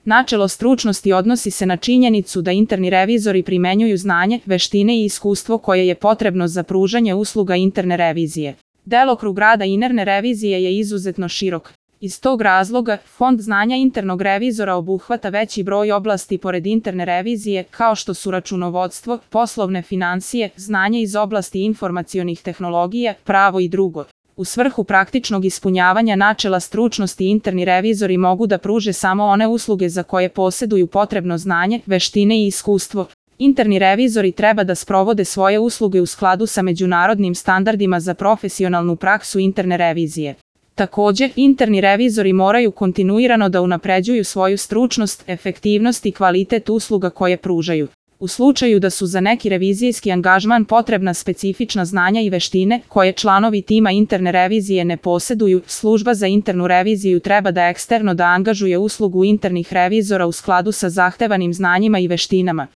Načelo stručnosti odnosi se na činjenicu da interni revizori primenjuju znanje, veštine i iskustvo koje je potrebno za pružanje usluga interne revizije. Delokrug rada interne revizije je izuzetno širok. Iz tog razloga, fond znanja internog revizora obuhvata veći broj oblasti pored interne revizije, kao što su računovodstvo, poslovne finansije, znanje iz oblasti informacionih tehnologija, pravo i drugo. U svrhu praktičnog ispunjavanja načela stručnosti interni revizori mogu da pruže samo one usluge za koje poseduju potrebno znanje, veštine i iskustvo. Interni revizori treba da sprovode svoje usluge u skladu sa međunarodnim standardima za profesionalnu praksu interne revizije. Takođe, interni revizori moraju kontinuirano da unapređuju svoju stručnost, efektivnost i kvalitet usluga koje pružaju. U slučaju da su za neki revizijski angažman potrebna specifična znanja i veštine koje članovi tima interne revizije ne poseduju, služba za internu reviziju treba da eksterno da angažuje uslugu internih revizora u skladu sa zahtevanim znanjima i veštinama.